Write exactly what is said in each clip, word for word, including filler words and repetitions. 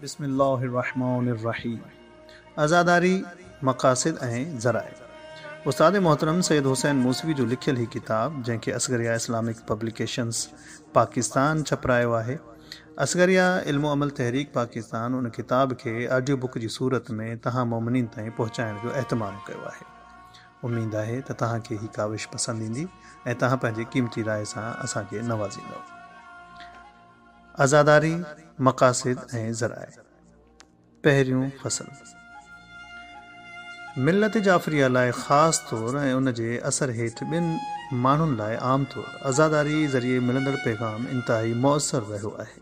بسم الله الرحمن الرحيم. عزاداري، مقاصد ۽ ذرائع. استاد محترم سيد حسين موسوي جو لکيل هي ڪتاب، جنهن کي اصغريه اسلامڪ پبليڪيشنز پاڪستان ڇپرايو آهي. اصغريه علم و عمل تحريڪ پاڪستان ان ڪتاب کي آڊيو بڪ جي صورت ۾ توهان مومنين تائين پهچائڻ جو اهتمام ڪيو آهي. اميد آهي ته توهان کي هي ڪاوش پسند ايندي ۽ توهان پنهنجي قيمتي راءِ سان اسان کي نوازيندؤ. عزاداري، مقاصد ۽ ذرائع. پهريون فصل. ملت جعفريه لاءِ خاص طور ۽ ان جي اثر هيٺ ٻين ماڻهن لاءِ عام طور عزاداري ذريعي ملندڙ پيغام انتهائي مؤثر رهيو آهي.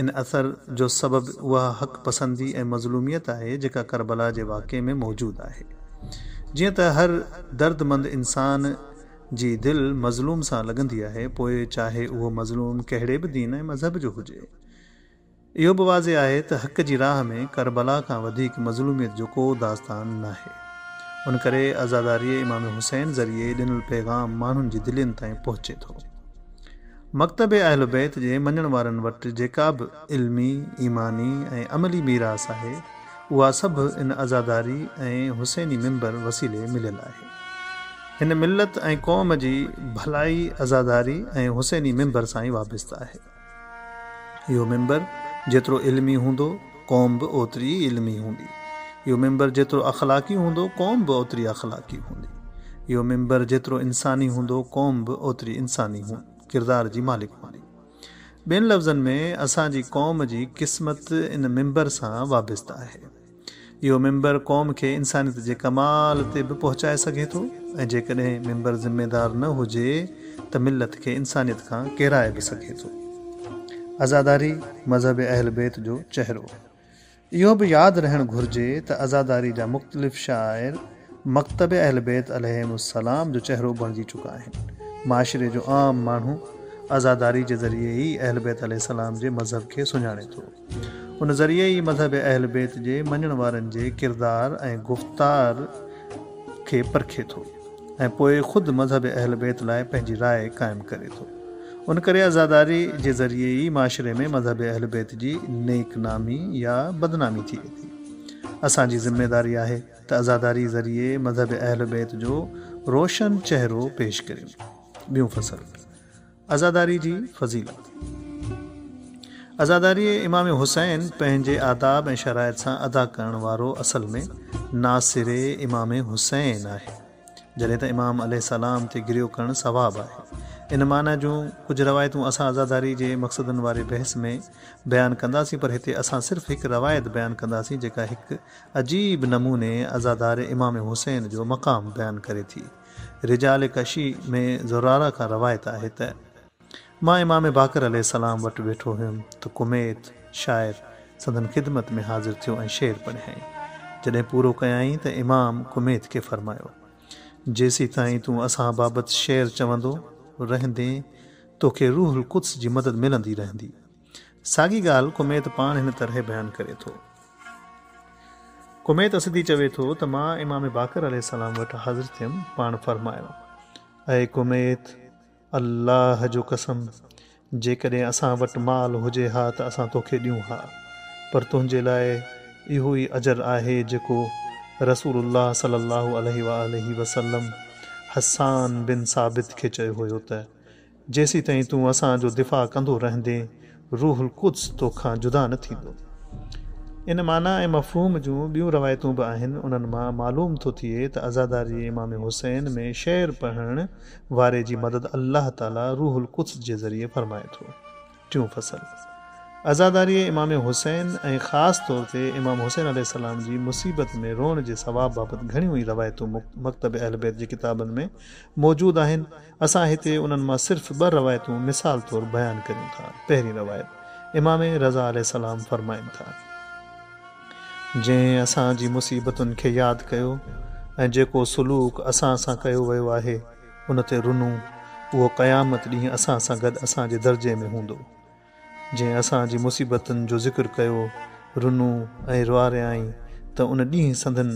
ان اثر جو سبب اها حق پسندي ۽ مظلوميت آهي جيڪا ڪربلا جي واقعي ۾ موجود آهي. جيئن ته هر دردمند انسان جي دل مظلوم سان لڳندي آهي، پوءِ چاهي اهو مظلوم ڪهڙي به دين ۽ مذهب جو هجي. اهو به واضح آهي ته حق جي راهه ۾ ڪربلا کان وڌيڪ مظلوميت جو ڪو داستان ناهي. ان ڪري عزاداريءَ امام حسين ذريعي ڏنل پيغام ماڻهن جي دلين تائين پهچي ٿو. مڪتب اهل بيت جي مڃڻ وارن وٽ جيڪا به علمي، ايماني ۽ عملي ميراث آهي، اها سڀ ان عزاداري ۽ حسيني منبر وسيلي مليل آهي. هن ملت ۽ قوم جي ڀلائي عزاداري ۽ حسيني منبر سان ئي وابسته آهي. اهو منبر جيترو علمي هوندو، قوم به اوتري ئي علمي هوندي. اهو منبر جيترو اخلاقي هوندو، قوم به اوتري اخلاقي هوندي. اهو منبر جيترو انساني هوندو، قوم به اوتري انساني ڪردار جي مالڪ هوندي. ٻين لفظن ۾ اسان جي قوم جي قسمت ان منبر سان وابسته آهي. اهو منبر قوم کي انسانيت جي ڪمال تي به پهچائي سگهي ٿو ۽ جيڪڏهن منبر ذميدار نه هجي ته ملت کي انسانيت کان ڪيرائي به سگهي ٿو. عزاداري مذهب اهل بيت جو چهرو. اهو به ياد رهڻ گهرجي ته عزاداري جا مختلف شعائر مڪتب اهل بيت عليهم السلام جو چهرو بڻجي چڪا آهن. معاشري جو عام ماڻهو عزاداري جي ذريعي ئي اهل بيت عليه السلام جي مذهب کي سڃاڻي ٿو. ان ذريعي ئي مذهب اهل بيت جي مڃڻ وارن جي ڪردار ۽ گفتار کي پرکي ٿو ۽ پوءِ خود مذهب اهل بيت لاءِ پنهنجي راءِ قائم ڪري ٿو. ان ڪري عزاداري جي ذريعي ئي معاشري ۾ مذهب اهل بيت جي نيڪ نامي يا بدنامي ٿئي ٿي. اسان جي ذميداري آهي ته عزاداري ذريعي مذهب اهل بيت جو روشن چهرو پيش ڪريون. ٻيون فصل. عزاداري جي فضيلت. عزاداري امام حسين پنهنجي آداب ۽ شرائط سان ادا ڪرڻ وارو اصل ۾ ناصر امام حسين آهي. جڏهن ته امام عليه السلام تي گريو ڪرڻ ثواب آهي. ان معنيٰ جون ڪجهه روايتون اسان عزاداري جي مقصدن واري بحث ۾ بيان ڪنداسين، پر هتي اسان صرف هڪ روايت بيان ڪنداسين جيڪا هڪ عجيب نموني عزادار امام حسين جو مقام بيان ڪري ٿي. رجال ڪشي ۾ زراره کان روايت آهي ته مان امام باقر عليه السلام وٽ ويٺو هيم ته ڪميت شاعر سندن خدمت ۾ حاضر ٿيو ۽ شعر پڙهيائين. جڏهن پورو ڪيائين ته امام ڪميت کي فرمايو، جيسين تائين تون اسان بابت شعر چوندو رهندين توکي روح القدس جي مدد ملندي رهندي. ساڳي ڳالهه ڪميت پاڻ هن طرح بيان ڪري ٿو. ڪميت اسدي چوي ٿو ته مان امام باقر عليه السلام وٽ حاضر ٿيم. پاڻ فرمايو، اي ڪميت، الله جو قسم، جيڪڏهن اسان وٽ مال هجي ها ته اسان توکي ڏيون ها، پر تنهنجي لاءِ اهو ئي اجر آهي جيڪو رسول الله صلي الله عليه وآله وسلم حسان بن ثابت کي چيو هيو ته جيسين تائين تون اسان جو دفاع ڪندو رهندين روح القدس توکان جدا نه ٿيندو. ان معنيٰ ۽ مفهوم جون ٻيون روايتون به آهن. انهن مان معلوم ٿو ٿئي ته عزاداري امام حسين ۾ شعر پڙهڻ واري جي مدد الله تعاليٰ روح القدس جي ذريعي فرمائي ٿو. ٽيون فصل. عزاداري امام حسين ۽ خاص طور تي امام حسين عليه السلام جي مصيبت ۾ روئڻ جي ثواب بابت گهڻيون ئي روايتون مڪتب اهل بيت جي ڪتابن ۾ موجود آهن. اسان هتي انهن مان صرف ٻه روايتون مثال طور بيان ڪريون ٿا. پهرين روايت، امام رضا عليه السلام فرمائن ٿا، جنهن اسان جي مصيبتن کي ياد ڪيو ۽ جيڪو سلوڪ اسان سان ڪيو ويو آهي ان تي رنو، اهو قيامت ڏينهن اسان سان گڏ اسان جي درجي ۾ هوندو. جنهن اسان جي مصيبتن جو ذڪر ڪيو، رنو ۽ روئاريائين ته ان ڏينهن سندن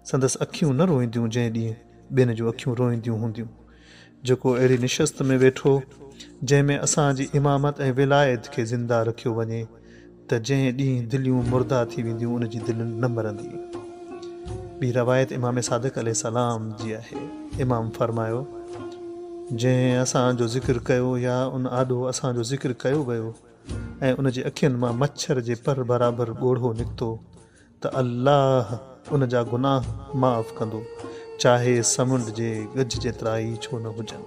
سندس اکيون نه روئينديون جنهن ڏينهن ٻين جون اکيون روئينديون هونديون. جيڪو اهڙي نشست ۾ ويٺو جنهن ۾ اسان جي امامت ۽ ولايت کي زنده رکيو وڃي ته جنهن ڏينهن دليون مرده ٿي وينديون ان جي دل نه مرندي. ٻي روايت امام صادق عليه السلام جي آهي. امام فرمايو، جنهن اسان جو ذڪر ڪيو يا ان آڏو اسان جو ذڪر ڪيو ويو ۽ ان جي اکين مان مڇر جي پر برابر ڳوڙهو نڪتو ته الله ان جا گناهه معاف ڪندو، چاهي سمنڊ جي گج جيترا ئي ڇو نه هجن.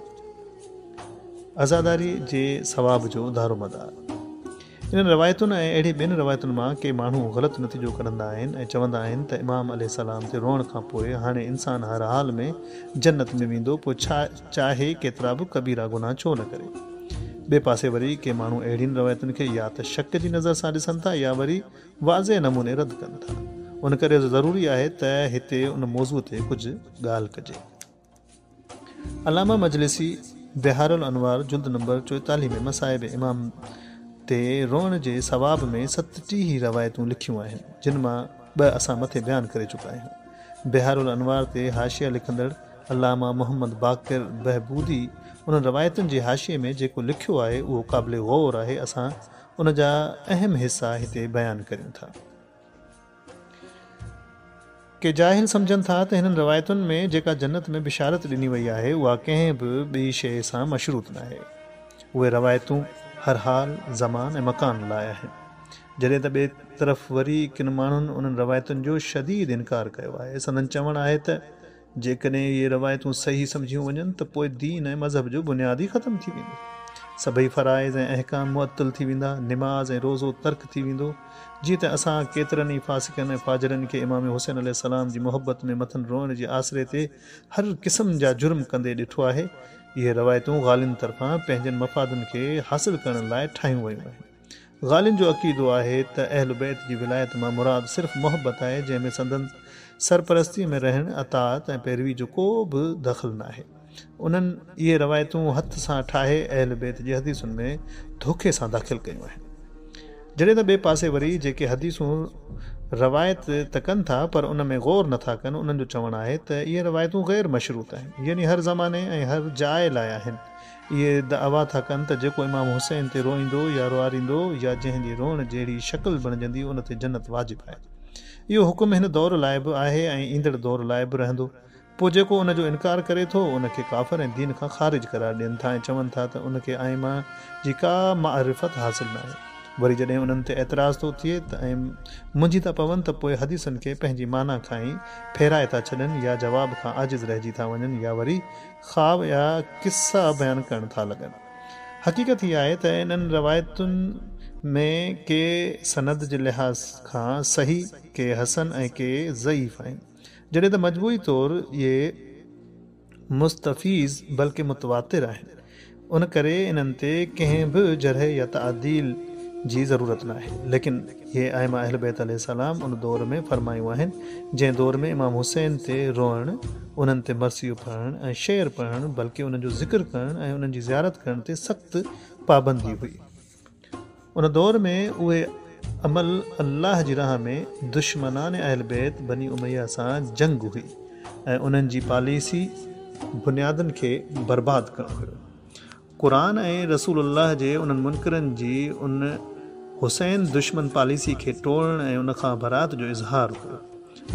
عزاداري جي ثواب جو دارومدار. انهن روايتن ۽ اهڙي ٻين روايتن مان ڪي ماڻهو غلط نتيجو ڪڍندا آهن ۽ چوندا آهن ته امام عليه السلام تي روئڻ کان پوء هاڻي انسان هر حال ۾ جنت ۾ ويندو، پوء چاهي ڪيترا به ڪبيرا گناهه ڇو نه ڪري. ٻئي پاسي وري ڪي ماڻهو اهڙين روايتن کي يا ته شڪ جي نظر سان ڏسن ٿا يا وري واضح نموني رد ڪن ٿا. ان ڪري ضروري آهي ته هتي ان موضوع تي ڪجهه ڳالهه ڪجي. علامه مجلسي بحار الانوار جلد نمبر چوئيتاليهه ۾ مصائب امام تي روئڻ جي ثواب ۾ ستٽيهه روايتون لکيون آهن، جن مان ٻه اسان مٿي بيان ڪري چڪا آهيون. بحار الانوار تي حاشيه لکندڙ علامه محمد باقر بهبودي انهن روايتن جي حاشيي ۾ جيڪو لکيو آهي اهو قابل غور آهي. اسان ان جا اهم حصا هتي بيان ڪريون ٿا. ڪي جاهل سمجهن ٿا ته هنن روايتن ۾ جيڪا جنت ۾ بشارت ڏني وئي آهي اها ڪنهن به ٻي شيء سان مشروط ناهي. اهي روايتون هر حال، زمان ۽ مڪان لاء آهن. جڏهن ته ٻئي طرف وري ڪن ماڻهن انهن روايتن جو شديد انڪار ڪيو آهي. سندن چوڻ آهي ته جيڪڏهن اهي روايتون صحيح سمجهيون وڃن ته پوء دين ۽ مذهب جو بنياد ئي ختم ٿي ويندو. سڀئي فرائض ۽ احڪام معطل ٿي ويندا، نماز ۽ روزو ترڪ ٿي ويندو. جيئن ته اسان ڪيترن ئي فاسقن ۽ فاجرن کي امام حسين عليه السلام جي محبت ۾ مٿن روئڻ جي آسري تي هر قسم جا جرم ڪندي ڏٺو آهي. اهي روايتون غالين طرفان پنهنجن مفادن کي حاصل ڪرڻ لاء ٺاهيون ويون آهن. غالين جو عقيدو آهي ته اهل بيت جي ولايت مان مراد صرف محبت آهي، جنهن ۾ سندن سرپرستي ۾ رهڻ، اطاعت ۽ پيروي جو ڪو به دخل ناهي. انهن اهي روايتون هٿ سان ٺاهي اهل بيت جي حديثن ۾ ڌوکي سان داخل ڪيون آهن. جڏهن ته ٻئي پاسي وري جيڪي حديثون روايت ته ڪن ٿا پر ان ۾ غور نٿا ڪن، انهن جو چوڻ آهي ته اهي روايتون غير مشروط آهن، يعني هر زماني ۽ هر جاء لاء آهن. اهي دعويٰ ٿا ڪن ته جيڪو امام حسين تي روئيندو يا روئاريندو يا جنهن جي روئڻ جهڙي شڪل بڻجندي ان تي جنت واجب آهي. اهو حڪم هن دور لاء به آهي ۽ ايندڙ دور لاء به رهندو. پوء جيڪو ان جو انڪار ڪري ٿو ان کي ڪافر ۽ دين کان خارج قرار ڏين ٿا ۽ چون ٿا ته ان کي ائمه جي ڪا معرفت حاصل ناهي. وري جڏهن انهن تي اعتراض ٿو ٿئي ته ۽ منجهي ٿا پون ته پوء حديثن کي پنهنجي معنيٰ کان ئي ڦيرائي ٿا ڇڏن يا جواب کان عاجز رهجي ٿا وڃن يا وري خواب يا قصا بيان ڪرڻ ٿا لڳن. حقيقت هي آهي ته انهن روايتن ۾ ڪي سند جي لحاظ کان صحيح، ڪي حسن ۽ ڪي ضعيف آهن، جڏهن ته مجموعي طور اهي مستفيض بلڪه متواتر آهن، ان ڪري انهن تي ڪنهن به جرح يا تعديل جي ضرورت ناهي. ليڪن اهي ائمه اهل بيت عليه السلام ان دور ۾ فرمايون آهن، جنهن دور ۾ امام حسين تي روئڻ، انهن تي مرثيو پڙهڻ ۽ شعر پڙهڻ بلڪه انهن جو ذڪر ڪرڻ ۽ انهن جي زيارت ڪرڻ تي سخت پابندي هئي. ان دور ۾ اهي عمل الله جي راهه ۾ دشمنان اهل بيت بني اميه سان جنگ هئي ۽ انهن جي پاليسي بنيادن کي برباد ڪرڻ هيو. قرآن ۽ رسول الله جي انهن منڪرن جي ان حسين دشمن پاليسي کي ٽوڙڻ ۽ ان کان برات جو اظهار هيو.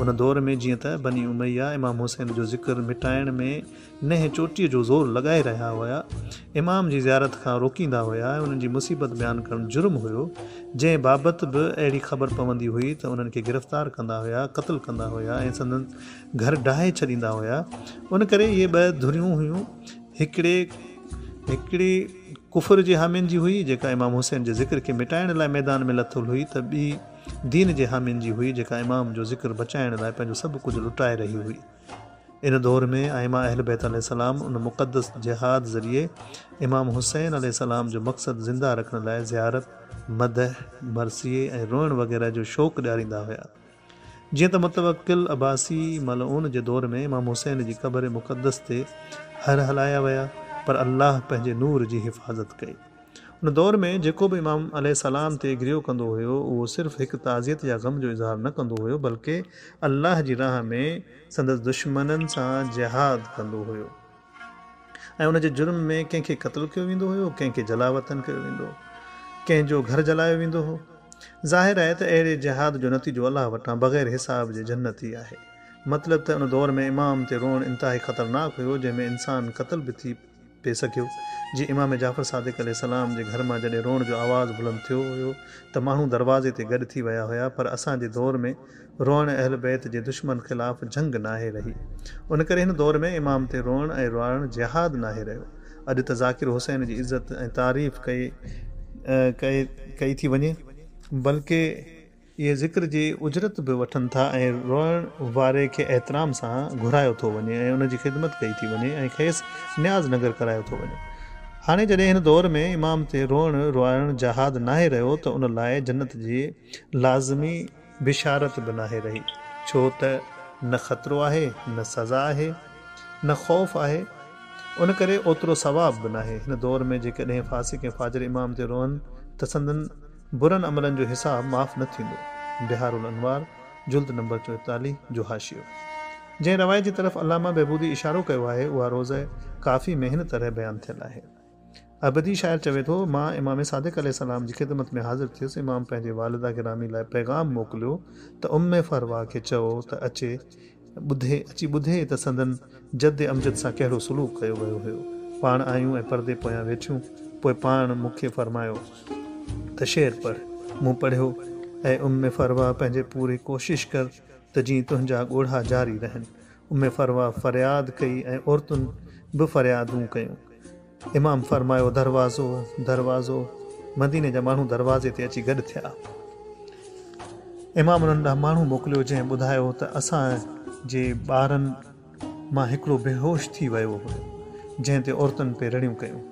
ان دور ۾ جيئن ته بني اميه امام حسين جو ذڪر مٽائڻ ۾ ننهن چوٽيء جو زور لڳائي رهيا هيا، امام جي زيارت کان روڪيندا هيا ۽ انهن جي مصيبت بيان ڪرڻ جرم هيو، جنهن بابت به اهڙي خبر پوندي هئي ته انهن کي گرفتار ڪندا هيا، قتل ڪندا هيا ۽ سندن گهر ڊاهي ڇڏيندا هيا. ان ڪري اهي ٻه ڌريون هيون، هڪڙي هڪڙي ڪفر جي حامين جي هئي، جيڪا امام حسين جي ذڪر کي مٽائڻ لاء ميدان ۾ لٿل هئي ته ٻي دين جي حامين جي هئي، جيڪا امام جو ذڪر بچائڻ لاء پنهنجو سڀ ڪجهه لٽائي رهي هئي. ان دور ۾ ائمه اهل بيت عليه السلام ان مقدس جهاد ذريعي امام حسين عليه السلام جو مقصد زنده رکڻ لاء زيارت، مدح، مرثيي ۽ روئڻ وغيره جو شوق ڏياريندا هيا. جيئن ته متوڪل عباسي ملعون جي دور ۾ امام حسين جي قبر مقدس تي هر هلايا ويا پر الله پنهنجي نور جي حفاظت ڪئي. ان دور ۾ جيڪو به امام عليه السلام تي گريو ڪندو هيو اهو صرف هڪ تعزيت يا غم جو اظهار نه ڪندو هيو بلڪه الله جي راهه ۾ سندس دشمنن سان جهاد ڪندو هيو ۽ ان جي جرم ۾ ڪنهن کي قتل ڪيو ويندو هيو، ڪنهن کي جلاوطن ڪيو ويندو هو، ڪنهن جو گهر جلايو ويندو هو. ظاهر آهي ته اهڙي جهاد جو نتيجو الله وٽان بغير حساب جي جنت ئي آهي. مطلب ته ان دور ۾ امام تي روئڻ انتهائي خطرناڪ هيو، جنهن ۾ انسان قتل به ٿي پئي سگهيو. جيئن امام جعفر صادق عليه السلام جي گهر مان جڏهن روئڻ جو آواز بلند ٿيو هيو ته ماڻهو دروازي تي گڏ ٿي ويا هيا، پر اسان جي دور ۾ روئڻ اهل بيت جي دشمن خلاف جنگ ناهي رهي. ان ڪري هن دور ۾ امام تي روئڻ ۽ روئارڻ جهاد ناهي رهيو. اڄ ته ذاڪر حسين جي عزت ۽ تعريف ڪئي ڪئي ٿي وڃي، بلڪه اهي ذڪر جي اجرت به وٺن ٿا ۽ روئڻ واري کي احترام سان گهرايو ٿو وڃي ۽ ان جي خدمت ڪئي ٿي وڃي ۽ کيس نياز ننگر ڪرايو ٿو وڃي. هاڻي جڏهن هن دور ۾ امام تي روئڻ روئارڻ جهاد ناهي رهيو ته ان لاء جنت جي لازمي بشارت به ناهي رهي، ڇو ته نه خطرو آهي، نه سزا آهي، نه خوف آهي، ان ڪري اوترو ثواب به ناهي. هن دور ۾ جيڪڏهن فاسق ۽ فاجر امام تي روئن ته سندن برن عملن جو حساب معاف نه ٿيندو. بحار الانوار جلد نمبر چوئيتاليهه جو حاشيو. جنهن روايت جي طرف علامه بهبودي اشارو ڪيو آهي، اها روضه ڪافي ۾ هن طرح بيان ٿيل آهي. عبدي شاعر چوي ٿو، مان امام صادق عليه السلام جي خدمت ۾ حاضر ٿيس. امام پنهنجي والده گرامي لاء پيغام موڪليو ته ام فروه کي چئو ته اچي ٻڌي اچي ٻڌي ته سندن جد امجد سان ڪهڙو سلوڪ ڪيو ويو هيو. پاڻ آيون ۽ پردي پويان ويٺيون. پوء پاڻ مون کي فرمايو ته شعر پڙهه. مون پڙهيو، اي ام فروه پنهنجي پوري ڪوشش ڪر ته جيئن تنهنجا ڳوڙها جاري رهن. ام فروه فرياد ڪئي ۽ عورتن به فريادون ڪيون. امام فرمايو، دروازو، دروازو. مديني جا ماڻهو دروازي تي اچي گڏ ٿيا. امام انهن ڏانهن ماڻهو موڪليو، جنهن ٻڌايو ته اسان جي ٻارن مان هڪڙو بيهوش ٿي ويو هيو، جنهن تي عورتن پئي رڙيون ڪيون.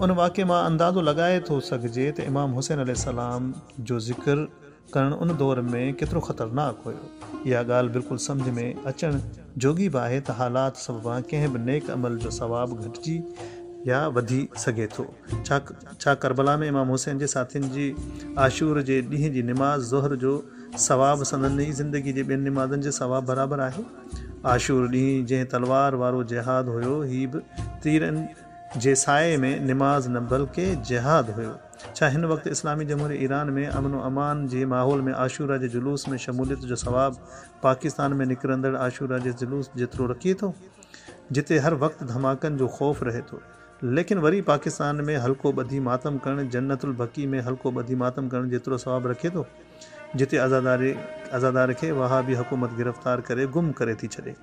ان واقعي مان اندازو لڳائي ٿو سگهجي ته امام حسين عليه السلام جو ذڪر ڪرڻ ان دور ۾ ڪيترو خطرناڪ هيو. اها ڳالهه بلڪل سمجهه ۾ اچڻ جوڳي به آهي ته حالات سببان ڪنهن به نيڪ عمل جو ثواب گهٽجي يا وڌي سگهي ٿو. ڇا ڇا ڪربلا ۾ امام حسين جي ساٿين جي عاشور جي ڏينهن جي نماز ظهر جو ثواب سندن ئي زندگي جي ٻين نمازن جي ثواب برابر آهي؟ عاشور ڏينهن جنهن تلوار وارو جهاد هيو، هي به تيرن جي سائي ۾ نماز نه بلڪه جهاد هيو. ڇا هن وقت اسلامي جمهوريه ايران ۾ امن و امان جي ماحول ۾ عاشورا جي جلوس ۾ شموليت جو ثواب پاڪستان ۾ نڪرندڙ عاشورا جي جلوس جيترو رکي ٿو، جتي هر وقت ڌماڪن جو خوف رهي ٿو؟ ليڪن وري پاڪستان ۾ حلقو ٻڌي ماتم ڪرڻ جنت البقيع ۾ حلقو ٻڌي ماتم ڪرڻ جيترو ثواب رکي ٿو، جتي عزاداري عزادار کي وهابي حڪومت گرفتار ڪري گم ڪري ٿي ڇڏي.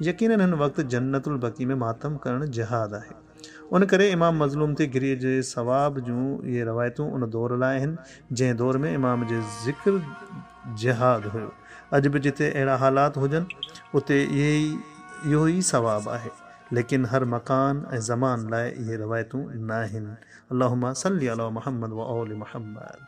يقينن هن وقت جنت البقيع ۾ ماتم ڪرڻ جهاد آهي. ان ڪري امام مظلوم تي گريي جي ثواب جون اهي روايتون ان دور لاء آهن، جنهن دور ۾ امام جي ذڪر جهاد هيو. اڄ به جتي اهڙا حالات هجن، اتي اهي اهو ئي ثواب آهي. ليڪن هر مڪان ۽ زمان لاء اهي روايتون ناهن. اللهم صل علي محمد وآل محمد.